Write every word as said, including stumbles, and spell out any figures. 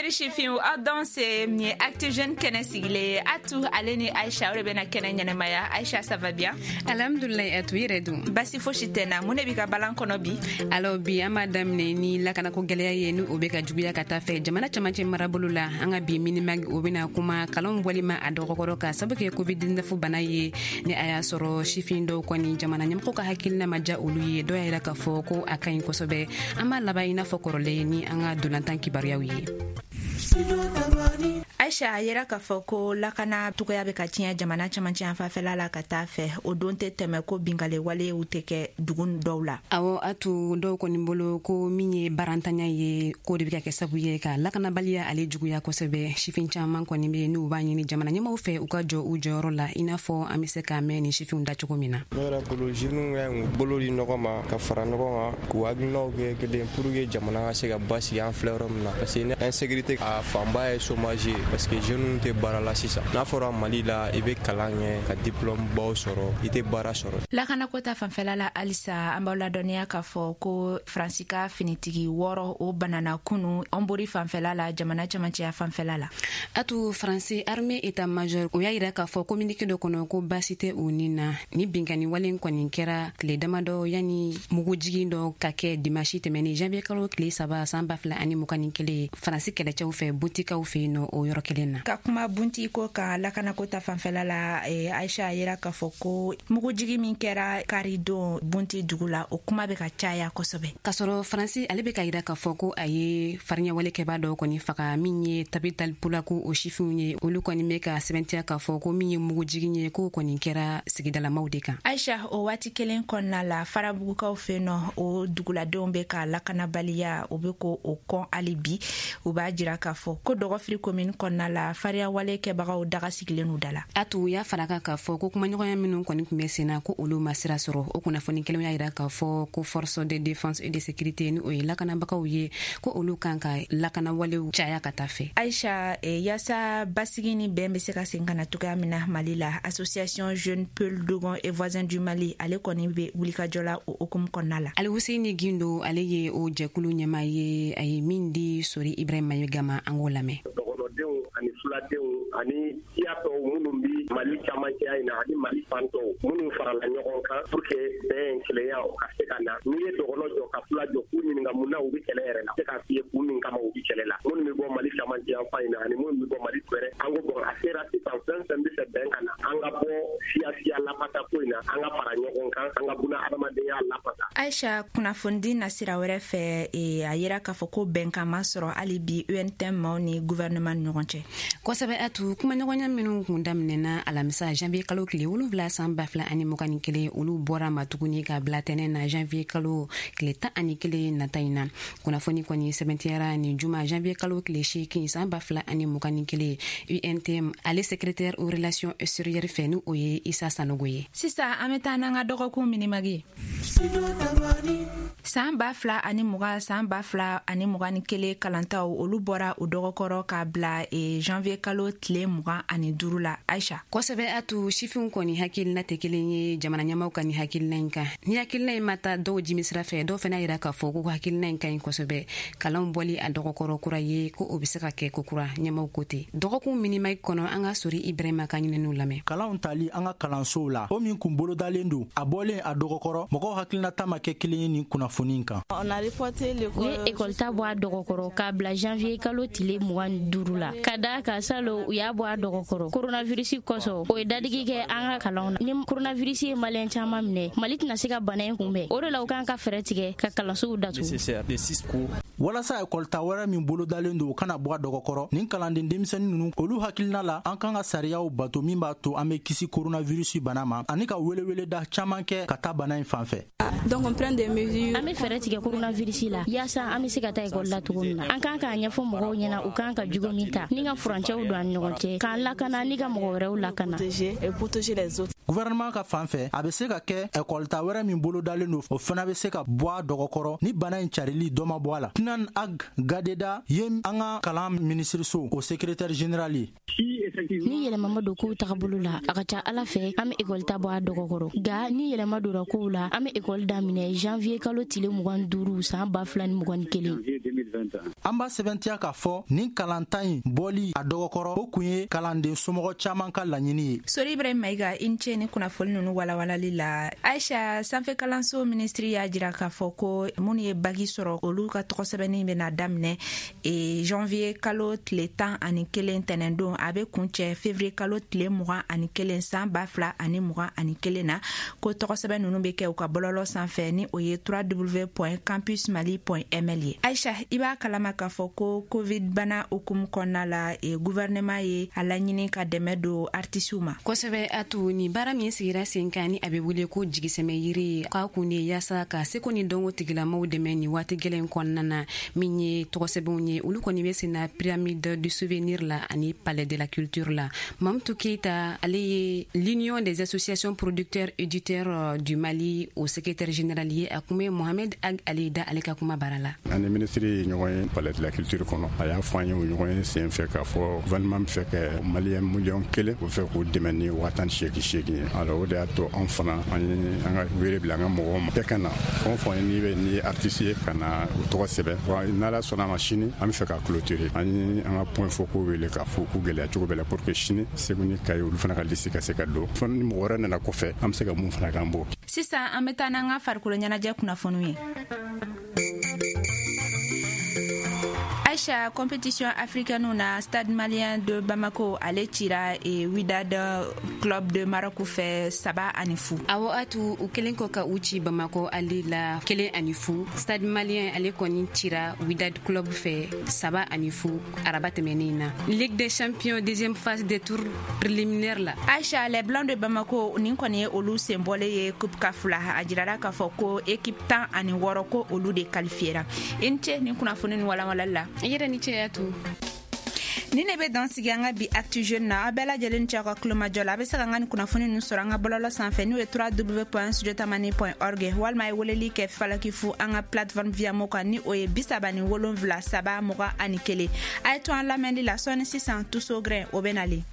Teri sifinw, aw danse. Nin ye Actu Jeune kɛnɛ sigilen ye. Atu ale ni Aisha, o de bɛna kɛnɛ ɲɛnɛmaya. Aisha, ça va bien? Alhamdulilayi Atu, i yɛrɛ dun? Basi fosi tɛ na. Mun de b'i ka balan kɔnɔ bi? Alors, bi an b'a daminɛ ni lakanako gwɛlɛya ye, ni o be ka juguya ka taa fɛ jamana camancɛ marabolo la. An ka bi Minimag, o bena kuma kalanw bɔli ma a dɔgɔkɔrɔ ka sabu kɛ covid dix-neuf bana ye. Ni a y'a sɔrɔ sifin dɔw kɔni, jamana ɲɛmɔgɔ ka hakilina ma ja olu ye, dɔw y'a yira k'a fɔ ko a ka ɲi kosɛbɛ. An b'a laban i n'a fɔ kɔrɔlen ni an ka dolantan kibaruyaw ye. Aisha, a yera k'a fɔ ko lakana cogoya bɛ ka tiɲɛ jamana camancɛ yan fanfɛla la ka taa fɛ. O don tɛ tɛmɛ ko binkale walew tɛ kɛ dugu dɔw la. Awɔ Atu, dɔw kɔni bolo ko min ye barantanya ye, k'o de bɛ ka kɛ sabu ye ka lakanabaliya ale juguya kosɛbɛ. Sifin caman kɔni be n'u b'a ɲini jamana ɲɛmaw fɛ, u ka jɔ u jɔyɔrɔ la, i n'a fɔ an be se k'a mɛn nin sifinw da cogo min na. Ne yɛrɛ bolo, jeunes ka ɲi k'u bolo di ɲɔgɔn ma ka fara ɲɔgɔn kan, k'u hakilinaw kɛ kelen pour que jamana ka se ka basigi an filɛ yɔrɔ min na, parce que ni insécurité a fanba ye chômage ye, parce que jeunes tɛ baara la sisan. N'a fɔra Mali la, i bɛ kalan kɛ ka diplôme baw sɔrɔ, i tɛ baara sɔrɔ. Lakanako ta fanfɛla la halisa, an b'aw ladɔnniya k'a fɔ ko Faransi ka finitigi wɔɔrɔ, o banana kunu Ɔnbori fanfɛla la, jamana camancɛya fanfɛla la. Atu, Faransi armée état major, o y'a yira k'a fɔ communiqué dɔ kɔnɔ ko baasi tɛ u ni na. Ni binkani wale kɔni kɛra tile damadɔ yani mugujigin dɔ ka kɛ dimasi tɛmɛni, janvier kalo tile saba san ba fila ani mugan ni kelen, Faransi kɛlɛcɛw fɛ Buntikaw fɛ yen nɔ, o yɔrɔ kelen na. Ka kuma Bunti ko kan lakanako ta fanfɛla la, eh, Aisha, a yira k'a fɔ ko mugujigi min kɛra kari don Bunti dugu la, o kuma bɛ ka caya kosɛbɛ. K'a sɔrɔ Faransi ale bɛ ka yira k'a fɔ ko a ye fariɲawale kɛbaa dɔw kɔni faga, min ye Tabital Pulaku o sifinw ye, olu kɔni bɛ ka sɛbɛntiya k'a fɔ ko min ye mugujigin ye, k'o kɔni kɛra sigidalamaw de kan. Aisha, o waati kelen kɔnɔna la, Farabugukaw fɛ nɔ, o duguladenw bɛ ka lakanabaliya, o bɛ ko o kɔn hali bi. U b'a jira k'a fɔ ko Dɔgɔfiri komini kɔnɔna la, fariyawale kɛbagaw daga sigilen u da la. Atu y'a fara kan k'a fɔ ko kumaɲɔgɔnya minnu kɔni tun bɛ sen na, ko olu ma sira sɔrɔ. O kunnafoni kelenw y'a yira k'a fɔ ko force de défense et de sécurité, ni o ye lakanabagaw ye, ko olu kan ka lakanawalew caya ka taa fɛ. Aisha, e, yaasa basigi ni bɛn bɛ se ka segin ka na cogoya min na Mali la, Association Jeune Peul Dogon et Voisin du Mali, ale kɔni bɛ wulikajɔ la o hukumu kɔnɔna la. Alihuseni Gindo, ale ye o jɛkulu ɲɛma ye. A ye min di Sori Ibrahima Mayiga ma, an k'o lamɛn. Dɔgɔnɔdenw ani fuladenw ani siya tɔw minnu bi Mali camancɛya in na ani Mali fan tɔw minnu farala ɲɔgɔn kan pour que bɛn, kelenya, o ka se ka na. N'i ye dɔgɔnɔ jɔ ka fula jɔ k'u ɲininka mun na u bɛ kɛlɛ yɛrɛ la, se k'a f'i ye kun min kama u bɛ kɛlɛ la. Minnu bɛ bɔ Mali camancɛ yan fan in na ani minnu bɛ bɔ Mali wɛrɛ, an ko bon, a sera sisan, fɛn fɛn bɛ fɛ bɛn ka na, an ka bɔ siya siya lapata ko in na, an ka fara ɲɔgɔn kan, an ka buna adamadenya lapata. Aisha, kunnafonidi nasira wɛrɛ fɛ, e, a yira k'a fɔ ko bɛnkan ma sɔrɔ hali bi U N T M maaw ni gouvernement ni ɲɔgɔn cɛ. Kosɛbɛ Atu, kumaɲɔgɔnya minnu kun daminɛna alamisa janvier kalo tile wolonfila san ba fila ani mugan ni kelen, olu bɔra ma tuguni ka bila tɛnɛ na janvier kalo tile tan ani kelen nata in na. Kunnafoni kɔni sɛbɛntiyara nin juma janvier kalo tile seegin san ba fila ani mugan ni kelen, U N T M ale secrétaire aux relations extérieures fɛ, ni o ye Isa Sanogo ye. Sisan an bɛ taa n'an ka dɔgɔkun Minimag ye. San ba fila ani mugan, san ba fila ani mugan ni kelen kalantaw, olu bɔra u dɔgɔkɔrɔ k'a bila e, janvier kalo tile mugan ani duru la, Aisha. Kosɛbɛ Atu, sifinw kɔni hakilina tɛ kelen ye jamana ɲɛmaw ka ni hakilina in kan. Ni hakilina in ma taa dɔw jimi sira fɛ, dɔw fana yira k'a fɔ ko hakilina in ka ɲi kosɛbɛ. Kalanw bɔli a dɔgɔkɔrɔ kura ye, ko o be se ka kɛ ko kura, ɲɛmaw ko ten. Dɔgɔkun Minimag kɔnɔ, an ka Sori Ibrahima ka ɲininiw lamɛn. Kalanw tali an ka kalansow la, o min kun bolodalen don, a bɔlen a dɔgɔkɔrɔ, mɔgɔw hakilinata ma kɛ kelen ye nin kunnafoni kan. U ye ekɔli ta bɔ a dɔgɔkɔrɔ k'a bila janvier kalo tile mugan ni duuru la, ka daa ka salo u y'a bɔ a dɔgɔkɔrɔ koronavirisi kosɔn. O ye dadigi kɛ an ka kalanw na. Ni koronavirisi ye Maliyɛn caaman minɛ, Mali tɛna se ka bana in kunbɛn. O de la u kan ka fɛɛrɛ tigɛ ka kalansow datugu. Walasa ekɔlita wɛrɛ min bolodalen don, o kana bɔ a dɔgɔkɔrɔ, nin kalanden denmisɛnnin nunu, olu hakilina la, an kan ka sariyaw bato min b'a to an be kisi koronavirusi bana ma, ani ka weleweleda caaman kɛ ka taa bana in fan fɛ. Donc on prend des mesures. An bɛ fɛɛrɛ tigɛ coronavirus la yaasa an bɛ se ka taa ekɔli la cogo min na. An kan k'a ɲɛfɔ mɔgɔw ɲɛna u kan ka jugu min ta ni ka furancɛw don an ni ɲɔgɔn cɛ, k'an lakana ni ka mɔgɔ wɛrɛw lakana. Gouvernement ka fan fɛ, a bɛ se ka kɛ ekɔlita wɛrɛ min bolodalen don, o fana bɛ se ka bɔ a dɔgɔkɔrɔ ni bana in carili dɔ ma bɔ a la. Tɛna. Inan Ag Gadeda ye an ka kalan minisiriso o secrétaire général ye. Ni yɛlɛma ma don kow tagabolo la, a ka ca Ala fɛ an bɛ ekɔli ta bɔ a dɔgɔkɔrɔ. Nka ni yɛlɛma donna kow la, an bɛ ekɔli daminɛ janvier kalo tile mugan duuru san ba fila ni mugan ni kelen. An b'a sɛbɛntiya k'a fɔ nin kalanta in bɔli a dɔgɔkɔrɔ, o kun ye kalanden somɔgɔ caman ka laɲini ye. Sori Ibrahim Mayiga, i ni ce ni kunnafoni ninnu walawalali la. Aisha, sanfɛ kalanso minisiri y'a jira k'a fɔ ko minnu ye bagi sɔrɔ, olu ka tɔgɔsɛbɛnni bɛna daminɛ e janvier kalo tile tan ani kelen tɛnɛndon, a bɛ kuncɛ février kalo tile mugan ani kelen san ba fila ani mugan ani kelen na. Ko tɔgɔsɛbɛn ninnu bɛ kɛ u ka bɔlɔlɔ sanfɛ ni o ye w w w point campus mali point m l ye. Aisha, i b'a kalama k'a fɔ ko covid bana hukumu kɔnɔna la, e, gouvernement ye a laɲini ka dɛmɛ don artisiw ma kosɛbɛ. A to ni baara min sigira sen kan ni a bɛ wele ko jigisɛmɛ yiri, k'a kun de yaasa ka seko ni dɔnko tigilamaw dɛmɛ ni waati gɛlɛn kɔnɔna na. Min ye tɔgɔsɛbɛnw ye, olu kɔni bɛ sen na Pyramide du Souvenir la ani Palais de la Culture la. Mamutu Keita, ale ye l'Union des associations producteurs éditeurs du Mali au secrétaire général ye, a kun bɛ Mohamed Ag Alida ale ka kuma baara la. An ni minisiri ye ɲɔgɔn ye Palais de la Culture kɔnɔ. A y'a fɔ an ye o ɲɔgɔn ye sen fɛ k'a fɔ gouvernement bɛ fɛ ka maliyɛn miliyɔn kelen o fɛ k'o dɛmɛ ni waa tan ni seegin seegin ye. Alors o de y'a to anw fana an ye an ka wele bila an ka mɔgɔw ma, bɛɛ ka na, fɛn o fɛn n'i bɛ n'i ye artiste ye, ka na u tɔgɔ sɛbɛn. Wa n'Ala sɔnna a ma, sini an bɛ fɛ ka clôturer. An ye an ka point focaux wele k'a fɔ k'u gɛlɛya cogo bɛɛ la pour que sini Segu ni Kayi olu fana ka liste ka se ka don. Fo ni mɔgɔ wɛrɛ nana kɔfɛ, an bɛ se ka mun fana k'an b'o. Sisan an bɛ taa n'an ka farikolo ɲɛnajɛ kunnafoniw ye. Aisha, compétition africaine na, Stade Malien de Bamako ale cira e Wydad Club de Maroc fɛ saba ani fu. Awɔ, atu u kelen kɔ ka u ci Bamako ale la kelen ani fu, Stade Malien ale kɔni cira Wydad Club fɛ saba ani fu araba tɛmɛnen na Ligue des champions deuxième phase des tours préliminaires la. Aisha, les Blancs de Bamako nin kɔni ye olu senbɔlen ye Coupe CAF la. A jirara k'a fɔ ko équipe tan ani wɔɔrɔ ko olu de qualifiera. I ni ce nin kunnafoni ni walawalali la. I yɛrɛ ni ce tu. Ni ne bɛ dan sigi an ka bi Actu Jeune na. Aw bɛɛ lajɛlen ni ce aw ka kulomajɔ la. A bɛ se ka an ka nin kunnafoni ninnu sɔrɔ an ka bɔlɔlɔ sanfɛ n'o ye w w w point studiotamani point org, walima a ye weleli kɛ falaki fu an ka plateforme Viamo kan ni o ye bi saba ni wolonfila saba mugan ani kelen. A ye to an lamɛnli la. Sɔɔni sisan, Tuso Grain o bɛ nalen.